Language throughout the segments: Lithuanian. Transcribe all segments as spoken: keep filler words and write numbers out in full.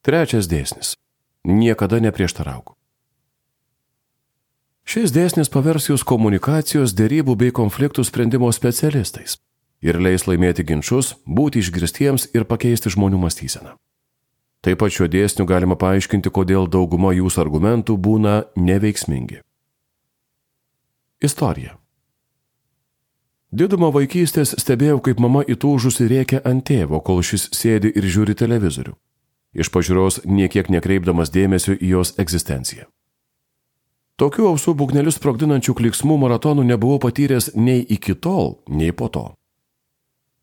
Trečias dėsnis. Niekada neprieštarauk. Šis dėsnis pavers jūs komunikacijos, dėrybų bei konfliktų sprendimo specialistais ir leis laimėti ginčus, būti išgirstiems ir pakeisti žmonių mąstyseną. Taip pat šiuo dėsniu galima paaiškinti, kodėl dauguma jūsų argumentų būna neveiksmingi. Istorija. Didumo vaikystės stebėjau, kaip mama įtūžusi rėkia ant tėvo, kol šis sėdi ir žiūri televizorių, iš pažiūros niekiek nekreipdamas dėmesio į jos egzistenciją. Tokių ausų būgnelius sprogdinančių kliksmų maratonų nebuvau patyręs nei iki tol, nei po to.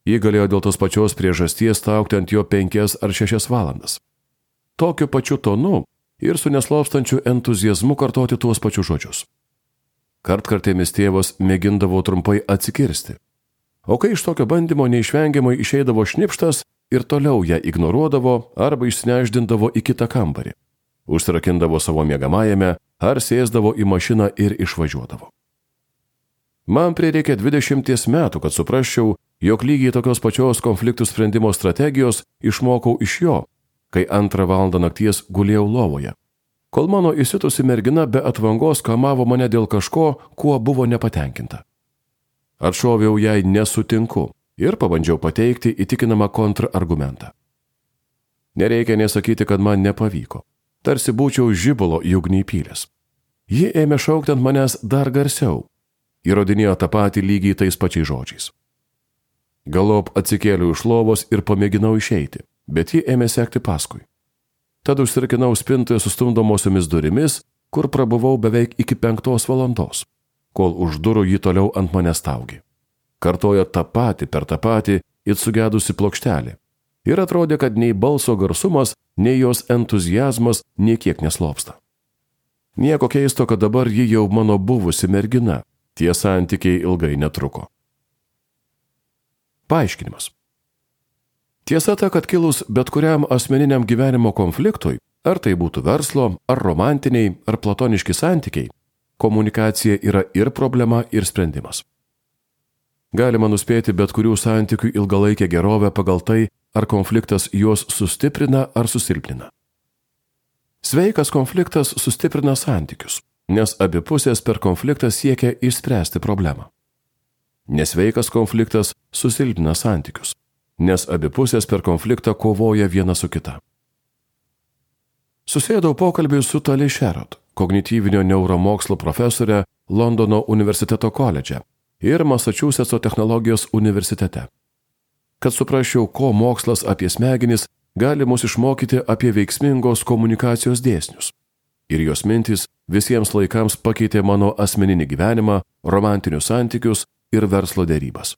Ji galėjo dėl tos pačios priežasties staugti ant jo penkias ar šešias valandas. Tokiu pačiu tonu ir su neslopstančiu entuziazmu kartoti tuos pačius žodžius. Kartkartėmis tėvas mėgindavo trumpai atsikirsti, o kai iš tokio bandymo neišvengiamai išeidavo šnipštas ir toliau ją ignoruodavo arba išsineždindavo į kitą kambarį, užsirakindavo savo miegamajame ar sėsdavo į mašiną ir išvažiuodavo. Man prireikė dvidešimties metų, kad suprasčiau, jog lygiai tokios pačios konfliktų sprendimo strategijos išmokau iš jo, kai antrą valandą nakties gulėjau lovoje, kol mano įsitusi mergina be atvangos kamavo mane dėl kažko, kuo buvo nepatenkinta. Atšoviau jai nesutinku ir pabandžiau pateikti įtikinamą kontrargumentą. Nereikia nesakyti, kad man nepavyko. Tarsi būčiau žibalo į ugnį įpylęs. Ji ėmė šaukti ant manęs dar garsiau, įrodinėjo tą patį lygiai tais pačiais žodžiais. Galop atsikėliau iš lovos ir pamėginau išeiti, bet ji ėmė sekti paskui. Tad užsirakinau spintoje sustumdomosiomis durimis, kur prabuvau beveik iki penktos valandos, kol už durų ji toliau ant manęs staugė. Kartojo tą patį per tą patį it sugedusi plokštelė. Ir atrodė, kad nei balso garsumas, nei jos entuzijazmas niekiek neslopsta. Nieko keisto, kad dabar ji jau mano buvusi mergina, tie santykiai ilgai netruko. Paaiškinimas. Tiesa ta, kad kilus bet kuriam asmeniniam gyvenimo konfliktui, ar tai būtų verslo, ar romantiniai, ar platoniški santykiai, komunikacija yra ir problema, ir sprendimas. Galima nuspėti bet kurių santykių ilgalaikę gerovę pagal tai, ar konfliktas juos sustiprina ar susilpnina. Sveikas konfliktas sustiprina santykius, nes abi pusės per konfliktą siekia išspręsti problemą. Nesveikas konfliktas susilpnina santykius, nes abi pusės per konfliktą kovoja viena su kita. Susėdau pokalbį su Tali Sherrod, kognityvinio neuromokslo profesorė Londono universiteto koledže ir Masačusetso technologijos universitete. Kad suprasčiau, ko mokslas apie smegenis gali mus išmokyti apie veiksmingos komunikacijos dėsnius. Ir jos mintys visiems laikams pakeitė mano asmeninį gyvenimą, romantinius santykius ir verslo dėrybas.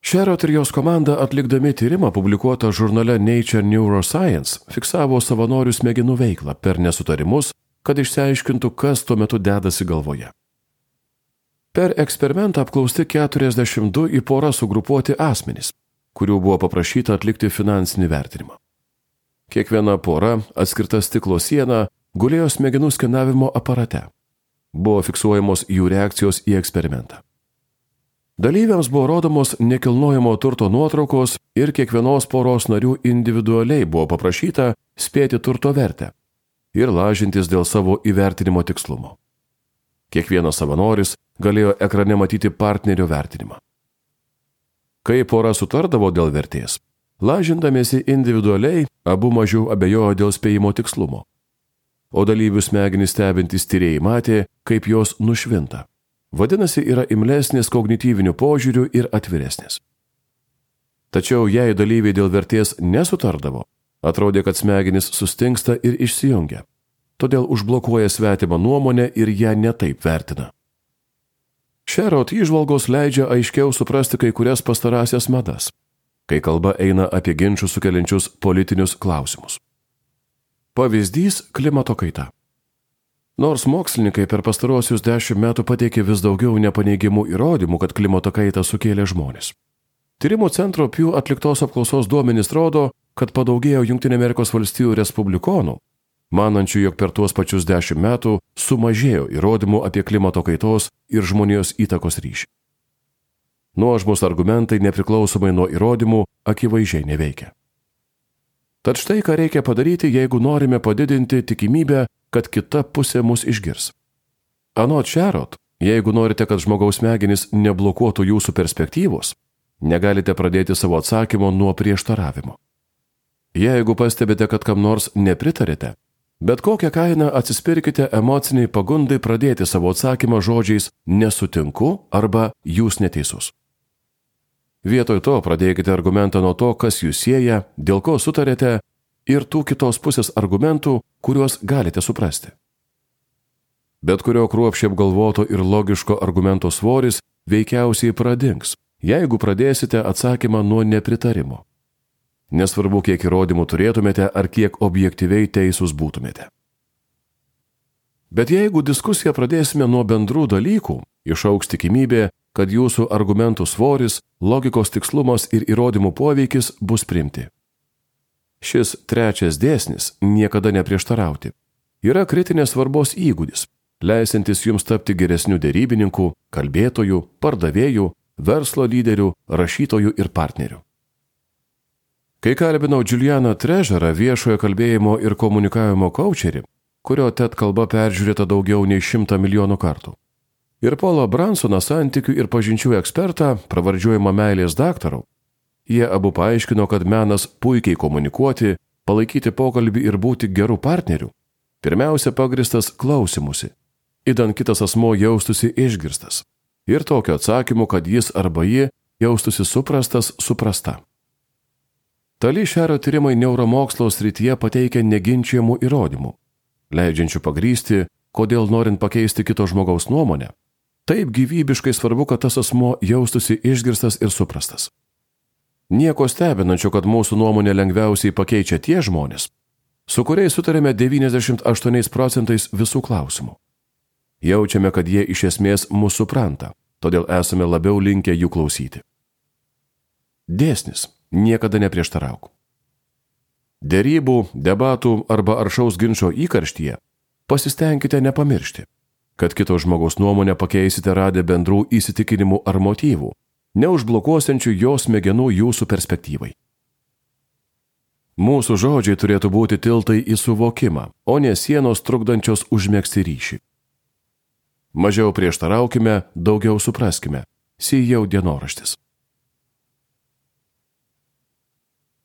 Sherrod ir jos komanda atlikdami tyrimą publikuotą žurnale Nature Neuroscience fiksavo savanorių smegenų veiklą per nesutarimus, kad išsiaiškintų, kas tuo metu dedasi galvoje. Per eksperimentą apklausti keturiasdešimt du į porą sugrupuoti asmenys, kurių buvo paprašyta atlikti finansinį vertinimą. Kiekviena pora, atskirta stiklo siena, gulėjo smegenų skenavimo aparate. Buvo fiksuojamos jų reakcijos į eksperimentą. Dalyviams buvo rodomos nekilnojamo turto nuotraukos ir kiekvienos poros narių individualiai buvo paprašyta spėti turto vertę ir lažintis dėl savo įvertinimo tikslumo. Kiekvienas savanoris galėjo ekrane matyti partnerio vertinimą. Kai pora sutardavo dėl vertės, lažindamiesi individualiai, abu mažiau abejojo dėl spėjimo tikslumo. O dalyvių smegenys stebintys tyrėjai matė, kaip jos nušvinta. Vadinasi, yra imlesnis kognityvinių požiūrių ir atviresnis. Tačiau jei dalyviai dėl vertės nesutardavo, atrodė, kad smegenys sustingsta ir išsijungia. Todėl užblokuoja svetimą nuomonę ir ją netaip vertina. Sherrod įžvalgos leidžia aiškiau suprasti kai kurias pastarąsias madas, kai kalba eina apie ginčų sukeliančius politinius klausimus. Pavyzdys – klimato kaita. Nors mokslininkai per pastarosius dešimt metų pateikė vis daugiau nepaneigimų įrodymų, kad klimato kaitą sukėlė žmonės. Tyrimų centro Pew atliktos apklausos duomenys rodo, kad padaugėjo Jungtinių Amerikos valstijų respublikonų, manančių, jog per tuos pačius dešimt metų sumažėjo įrodymų apie klimato kaitos ir žmonijos įtakos ryšį. Nuožmūs argumentai nepriklausomai nuo įrodymų akivaizdžiai neveikia. Tad štai ką reikia padaryti, jeigu norime padidinti tikimybę, kad kita pusė mus išgirs. Anot Sherrod, jeigu norite, kad žmogaus smegenys neblokuotų jūsų perspektyvos, negalite pradėti savo atsakymo nuo prieštaravimo. Jeigu pastebite, kad kam nors nepritarite, bet kokią kainą atsispirkite emociniai pagundai pradėti savo atsakymą žodžiais nesutinku arba jūs neteisus. Vietoj to pradėkite argumentą nuo to, kas jūs sieja, dėl ko sutarėte ir tų kitos pusės argumentų, kuriuos galite suprasti. Bet kurio kruopščiai apgalvoto ir logiško argumento svoris veikiausiai pradings, jeigu pradėsite atsakymą nuo nepritarimo. Nesvarbu, kiek įrodymų turėtumėte ar kiek objektyviai teisūs būtumėte. Bet jeigu diskusiją pradėsime nuo bendrų dalykų, išaugs tikimybė, kad jūsų argumentų svoris, logikos tikslumas ir įrodymų poveikis bus priimti. Šis trečias dėsnis – niekada neprieštarauti – yra kritinės svarbos įgūdis, leisantis jums tapti geresniu derybininku, kalbėtoju, pardavėju, verslo lyderiu, rašytoju ir partneriu. Kai kalbinau Julianą Treasurą, viešojo kalbėjimo ir komunikavimo kaučerį, kurio TED kalba peržiūrėta daugiau nei šimtą milijonų kartų, ir Paulą Bransoną, santykių ir pažinčių ekspertą, pravardžiuojamą meilės daktaru, jie abu paaiškino, kad menas puikiai komunikuoti, palaikyti pokalbį ir būti gerų partnerių, pirmiausia pagristas klausimusi, idant kitas asmo jaustųsi išgirstas, ir tokio atsakymu, kad jis arba ji jaustųsi suprastas, suprasta. Tali Sherrod tyrimai neuromokslo srityje pateikia neginčiamų įrodymų, leidžiančių pagrysti, kodėl norint pakeisti kito žmogaus nuomonę, taip gyvybiškai svarbu, kad tas asmo jaustųsi išgirstas ir suprastas. Nieko stebinančio, kad mūsų nuomonė lengviausiai pakeičia tie žmonės, su kuriais sutarėme devyniasdešimt aštuoniais procentais visų klausimų. Jaučiame, kad jie iš esmės mus supranta, todėl esame labiau linkę jų klausyti. Dėsnis – niekada neprieštarauk. Derybų, debatų arba aršaus ginčo įkarštyje pasistengkite nepamiršti, kad kito žmogaus nuomonę pakeisite radę bendrų įsitikinimų ar motyvų, neužblokuosiančių jo smegenų jūsų perspektyvai. Mūsų žodžiai turėtų būti tiltai į suvokimą, o ne sienos trukdančios užmegzti ryšį. Mažiau prieštaraukime, daugiau supraskime. C E O dienoraštis.